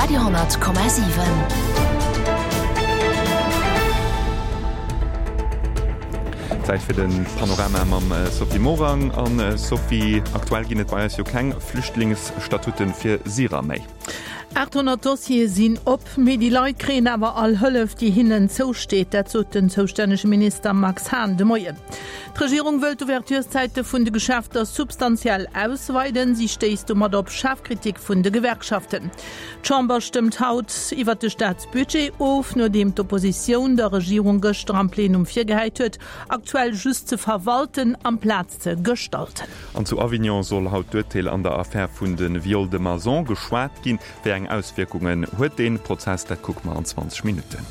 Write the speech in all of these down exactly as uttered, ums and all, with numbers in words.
Radio honnert Komma siwen. Zäit fir de Panorama mam Sophie Morang. An Sophie, aktuell ginn et bei eis jo keng Flüchtlingsstatuten fir Syrer méi. aathonnert Dossiere sinn op, mee déi Leit kréien awer all Hëllef, déi hinnen zousteet. Dat sot den zoustännege Minister Max Hahn de Moien. D'Regierung wëll d'Ouvertureszäite vun de Geschäfter substantiell ausweiden. Si stéisst domat op schaarf Kritik vun de Gewerkschaften. D'Chamber stëmmt haut iwwer de Staatsbudget of, nodeem d'Oppositioun der Regierung gëschter am Plenum virgehäit huet, aktuell just ze verwalten amplaz ze gestalten. An zu Avignon soll haut d'Urteel an der Affär vun de Viols de Mazan geschwat ginn. Wéi eng Auswierkungen huet dee Prozess? Dat kucke mer an zwanzeg Minutten.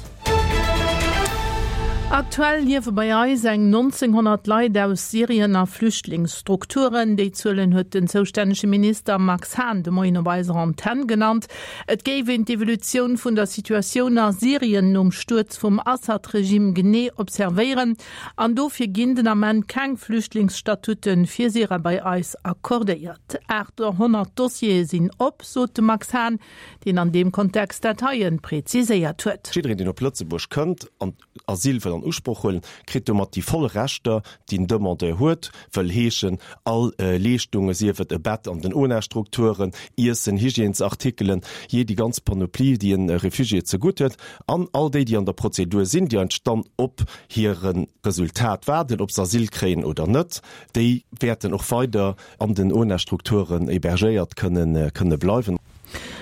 Aktuell liewe bei eis eng nonzénghonnert Leit aus Syrien a Flüchtlingsstrukturen. Déi Zuelen huet den zoustännege Minister Max Hahn de Moien op eiser Antenn genannt. Et géif een d'Evolutioun vun der Situatioun a Syrien nom Stuerz vum Assad-Regime genee observéieren an dofir ginn den Ament keng Flüchtlingsstatute fir Syrer bei eis accordéiert. achthonnert Dossiere sinn op, sot de Max Hahn, deen an deem Kontext dat heien präziséiert huet. Jiddereen, deen op Lëtzebuerg kënnt an Asyl wëll an Usproch huelen, kritt domat déi voll Rechter, déi en Demandeur huet, wëll heeschen, all Leeschtungen, sief et e Bett an den O N A-Strukturen, Iessen, Hygiènesartikelen, jee déi ganz Panoplie, déi e Refugié zegutt huet, an all déi, déi an der Prozedur sinn, déi eigentlech dann op hire Resultat waarden, ob se Asyl kréien oder net, déi wäerten och weider an den O N A-Strukturen hébergéiert kënnen, kënne bleiwen.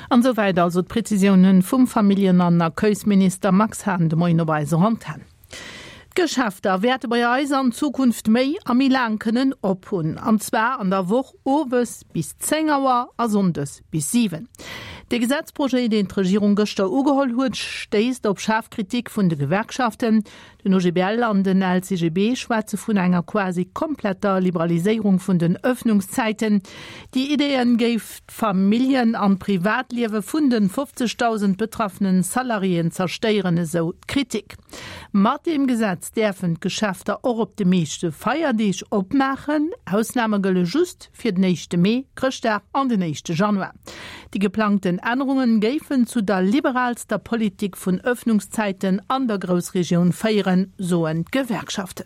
An souwäit also d'Präzisiounen vum Familljen an Accueilsminister Max Hahn de Moien op eiser Antenn. D'Geschäfter wäerte bei eis an Zukunft méi a méi laang kënnen op hunn, an zwar an der Woch owes bis zéng Auer a sonndes bis siwen. De Gesetzprojet, deen d'Regierung gëschter ugeholl huet, stéisst op schaarf Kritik vun de Gewerkschaften. Den O G B L an den L C G B schwätze vun enger quasi kompletter Liberaliséierung vun den Ëffnungszäiten. Déi Idee géif d'Familljen an d'Privatliewe vun de fofzegdausend betraffene Salariéen zerstéieren, esou d'Kritik. Mat deem Gesetz däerfen d'Geschäfter och op de meeschte Feierdeeg opmaachen. Ausname gëlle just fir den éischte Mee, Chrëschtdag an den éischte Januar. Déi geplangten Ännerunge géifen zu der liberaalster Politik vun Ëffnungszäiten an der Groussregioun féieren, soen d'Gewerkschaften.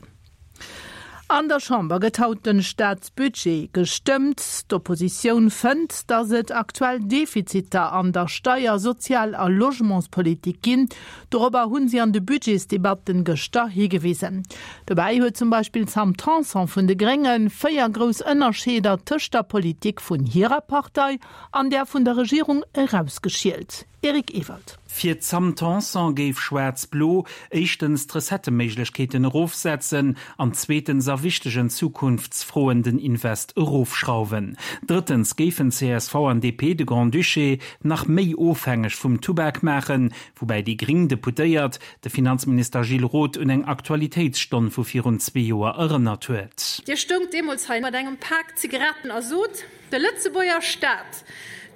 An der Chamber gëtt haut den Staatsbudget gestëmmt. D'Oppositioun fënnt, datt et aktuell Defiziter an der Steier-, Sozial a Logementspolitik ginn. Dorobber hunn si an de Budgetsdebatten gëschter higewisen. Dobäi huet zum Beispill d'Sam Tanson vun de Grénge véier grouss Ënnerscheeder tëscht der Politik vun hirer Partei an där vun der Regierung erausgeschielt. Eric Ewald. Fir d'Sam Tanson géif Schwaarz-Blo éischtens d'Recetteméiglechkeeten erofsetzen an zweetens a wichtegen Zukunftsfroen den Invest erofschrauwen. Drëttens géifen C S V an D P de Grand-Duché nach méi ofhängeg vum Tubak maachen, woubäi déi gréng Deputéiert de Finanzminister Gilles Roth un eng Aktualitéitsstonn vu virun zwee Joer erënnert huet. Dir stoungt deemools hei mat engem Pak Zigaretten a sot, de Lëtzebuerger Staat,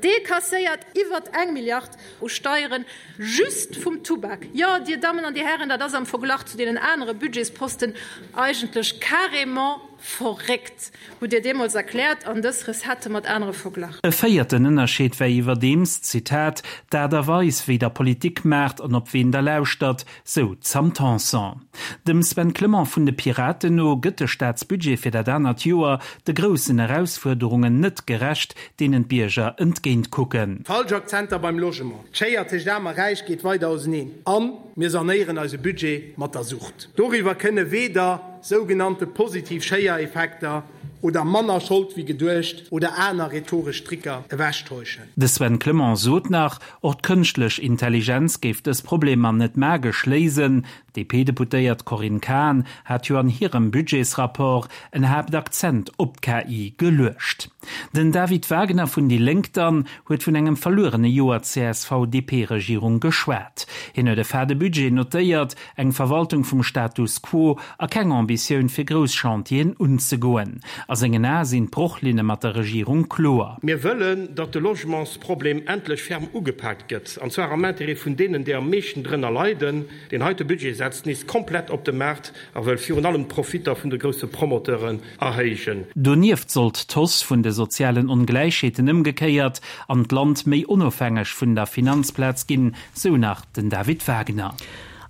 dee kasséiert iwwer eng Milliard u Steieren just vum Tubak. Jo, Dir Dammen an Dir Hären, dat ass am Verglach zu deenen anere Budgetsposten eigentlech carrément verréckt, hutt Dir deemools erkläert an dës Recettë mat anere verglach. E véierten Ënnerscheed wär iwwerdeems, Zitat, d'Aart a Weis, wéi Der Politik maacht an op ween Der lauschtert, sou d'Sam Tanson. Dem Sven Clement vun de Piraten no gëtt de Staatsbudget fir dat anert Joer de groussen Erausfuerderungen net gerecht, deenen d'Bierger entgéint kucken. Falsch Akzenter beim Logement, d'Schéier tëscht Aarm a Räich geet weider auseneen an mir sanéieren eise Budget mat der Sucht. Doriwwer kënne weder sougenannte positiv Schéiereffekter oder manner Schold wéi geduecht oder aner rhetoresch Tricker ewechtäuschen. De Sven Clement sot nach, och d'kënschtlech Intelligenz géif dës Problemer net magesch léisen. D'D P-Deputéiert Corinne Cahen hat jo an hirem Budgetsrapport en Haaptakzent op d'K I geluecht. Den David Wagner vun déi Lénk dann huet vun engem verluerene Joer C S V-D P-Regierung geschwat. Hien huet e fade Budget notéiert, eng Verwaltung vum Status quo a keng Ambitioun fir grouss Chantieren unzegoen. A sengen Ae sinn d'Brochlinne mat der Regierung kloer. Mir wëllen, datt de Logementsproblem endlech ferm ugepaakt gëtt, an zwar am Interêt vun deenen, déi am meeschten drënner leiden. Deen heite Budget setzt nees komplett op de Maart a wëll virun allem d'Profitter vun de grousse Promoteuren erhéijen. Donieft sollt d'Hausse vun de sozialen Ongläichheeten ëmgekéiert an d'Land méi onofhängeg vun der Finanzplaz ginn, sou nach den David Wagner.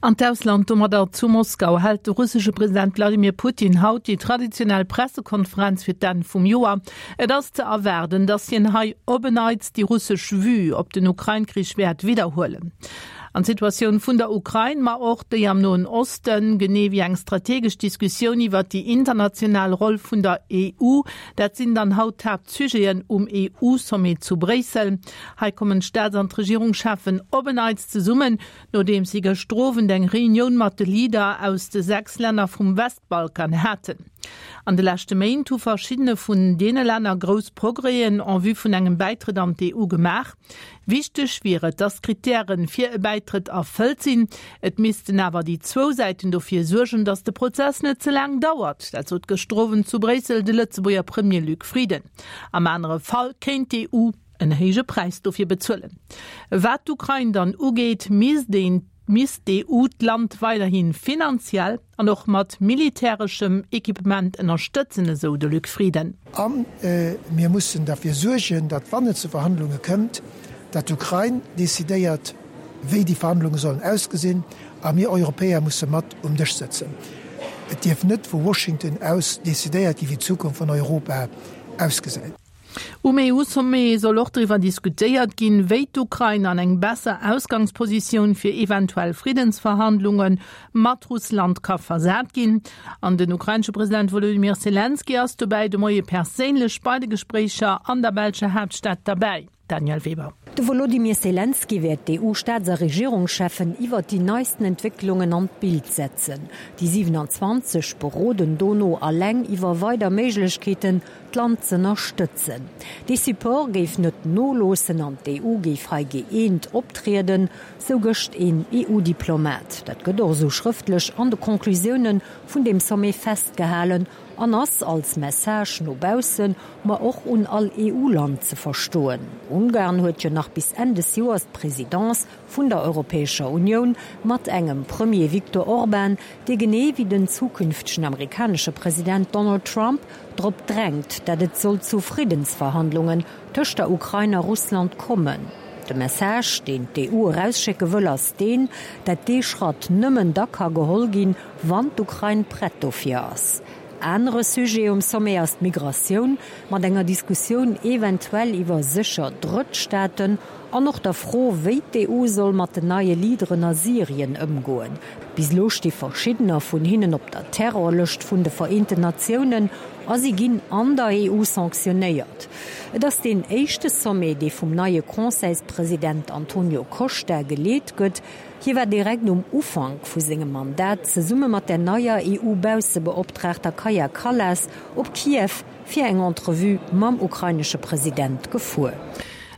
An d'Ausland, domadder zu Moskau, hält de russesche President Wladimir Putin haut déi traditionell Pressekonferenz fir d'Enn vum Joer. Et ass ze erwaarden, datt hien hei op en Neits déi russesch Vue op den Ukrain-Krich wäert widderhuelen. An d'Situatioun vun der Ukrain, ma och déi am Noen Osten, genee wéi eng strategesch Diskussioun iwwert déi international Roll vun der E U, dat sinn dann haut d'Haaptsujeten um E U-Sommet zu Bréissel. Hei kommen d'Staats an d'Regierungscheffen op en Neits zesummen, nodeems si gëschter Owend eng Reunioun mat de Leader aus de sechs Länner vum Westbalkan haten. An de leschte Méint hu verschiddene vun deene Länner grouss Progrèsen en vue vun engem Bäitrëtt an d'E U gemaach. Wichteg wier et, datt d'Krittären fir e Bäitrëtt erfëllt sinn. Et missten awer déi zwou Säiten dofir suergen, datt de Prozess net ze laang dauert. Dat sot gëschter Owend zu Bréissel de Lëtzebuerger Premier Luc Frieden. Am anere Fall kéint d'E U en héije Präis dofir bezuelen. Wat d'Ukrain dann ugeet, misst een misst d'E U d'Land weiderhi finanziell an och mat militäreschem Equipement ënnerstëtzen, esou de Luc Frieden. A mir mussen derfir suergen, datt wann et zu Verhandlunge kënnt, datt d'Ukrain decidéiert, wéi déi Verhandlunge sollen ausgesinn, a mir Europäer musse mat um Dësch sëtzen. Et dierf net vu Washington aus decidéiert ginn, wéi d'Zukunft vun Europa ausgesäit. Um E U-Sommet soll och driwwer diskutéiert ginn, wéi d'Ukrain an eng besser Ausgangspositioun fir eventuell Friddensverhandlunge mat Russland ka versat ginn. An den ukrainesche President Wolodymyr Selenskyj ass dobäi de Moie perséinlech bei de Gespréicher an der belscher Haaptstad derbäi. Danièle Weber. De Wolodymyr Selenskyj wäert d'E U-Staats a Regierungscheffen iwwer déi neisten Entwécklungen an d'Bild setzen. Déi siwenanzwanzeg beroden dono eleng iwwer weider Méiglechkeeten, d'Land z'ënnerstëtzen. De Support géif net noloossen an d'E U géif hei gëeent optrieden, sou gëscht een E U-Diplomat. Dat gëtt och sou schrëftlech an de Conclusioune vun dem Sommet festgehalen an ass als Message no baussen, ma och un all E U-Land ze verstoen. Ungarn huet jo nach bis Enn des Joers d'Presidence vun der Europäescher Unioun mat engem Premier Viktor Orban, dee genee wéi den zukünftegen amerikanesche President Donald Trump drop drängt, dat et soll zu Friddensverhandlungen tëscht der Ukrain a Russland kommen. De Message, deen d'E U erausschécke wëll, ass deen, dat dee Schratt nëmmen da ka geholl ginn, wann d'Ukrain prett dofir ass. Anere Sujet um Sommet ass d'Migratioun, mat enger Diskussioun eventuell iwwer sécher Drëttstaaten an och der Fro, wéi d'E U soll mat den neie Leaderen a Syrien ëmgoen. Bis elo sti verschiddener vun hinnen op der Terrorlëscht vun de Vereenten Natiounen a si ginn an der E U sanktionéiert. Et ass deen éischte Sommet, dee vum neie Conseilspresident Antonio Costa geleet gëtt. Hie war direkt um Ufank vu sengem Mandat zesumme mat der neier E U-Baussebeoptraagter Kaja Kallas op Kiew fir eng Entrevue mam ukrainesche President gefuer.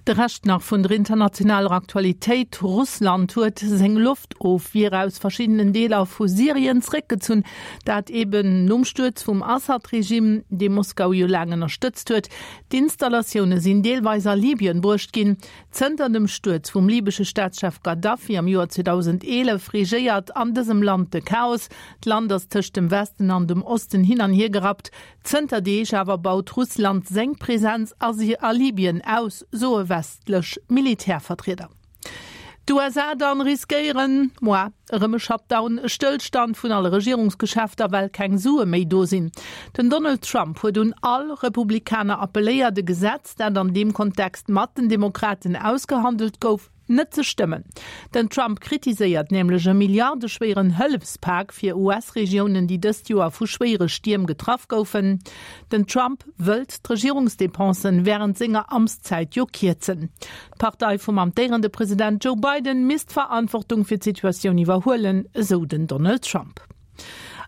De Rescht nach vun der internationaler Aktualitéit, Russland huet seng Loftofwier aus verschiddenen Deeler vu Syrien zréckgezunn, dat eben nom Stuerz vum Assad-Regime, dee Moskau jo laang ënnerstëtzt huet. D'Installatioune sinn deelweis a Libyen bruecht ginn. Zënter dem Stuerz vum libesche Staatschef Gaddafi am Joer zweedausendeelef regéiert an dësem Land de Chaos. D'Land ass tëscht dem Westen an dem Osten hin an hier gerappt. Zënter Deeg awer baut Russland seng Presenz a a Libyen aus, soe westlech Militärvertrieder. D'U S A dann riskéieren moar erëm e Shutdown, e Stëllstand vun alle Regierungsgeschäfter, well keng Sue méi do sinn. Den Donald Trump huet un all Republikaner appelléiert, e Gesetz, dat an deem Kontext mat den Demokraten ausgehandelt gouf, net ze stëmmen. Den Trump kritiséiert nämlech e milliardeschwéieren Hëllefspak fir U S-Regiounen, déi dëst Joer vu schwéiere Stierm getraff goufen. Den Trump wëllt d'Regierungsdepensen wärend senger Amtszäit jo kierzen. D'Partei vum amtéierende President Joe Biden misst d'Verantwortung fir d'Situatioun iwwerhuelen, esou den Donald Trump.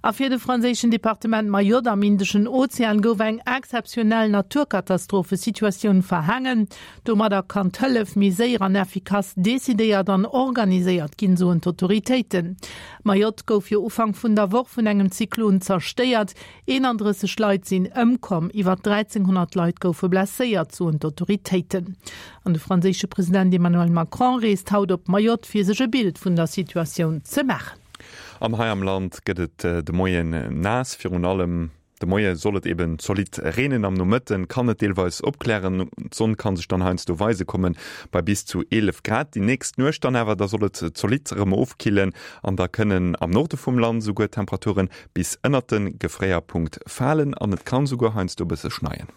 A fir de franséischen Departement Mayotte am Indeschen Ozean gouf eng exzeptionell Naturkatastrophesituatioun verhaangen. Domadder kann d'Hëllef méi séier an effikass decidéiert an organiséiert ginn, soen d'Autoritéiten. Mayotte gouf jo Ufank vun der Woch vun engem Zyklon zerstéiert. eenandrësseg Leit sinn ëmkomm, iwwer dräizénghonnert Leit goufe blesséiert, soen d'Autoritéiten. An de franséische President Emmanuel Macron reest haut op Mayotte fir sech e Bild vun der Situatioun ze maachen. An hei am Land gëtt et de Moien naass, virun allem de Moie soll et eben zolidd reenen, am Nomëtten kann et deelweis opklären, d'Sonn kann sech dann heiansdo weise kommen, bei bis zu eelef Grad. Déi nächst Nuecht dann awer, da soll et zolidd erëm ofkillen an da kënnen am Norde vum Land souguer d'Temperaturen bis ënnert de Gefréierpunkt falen an et kann souguer heiansdo e bësse schneien.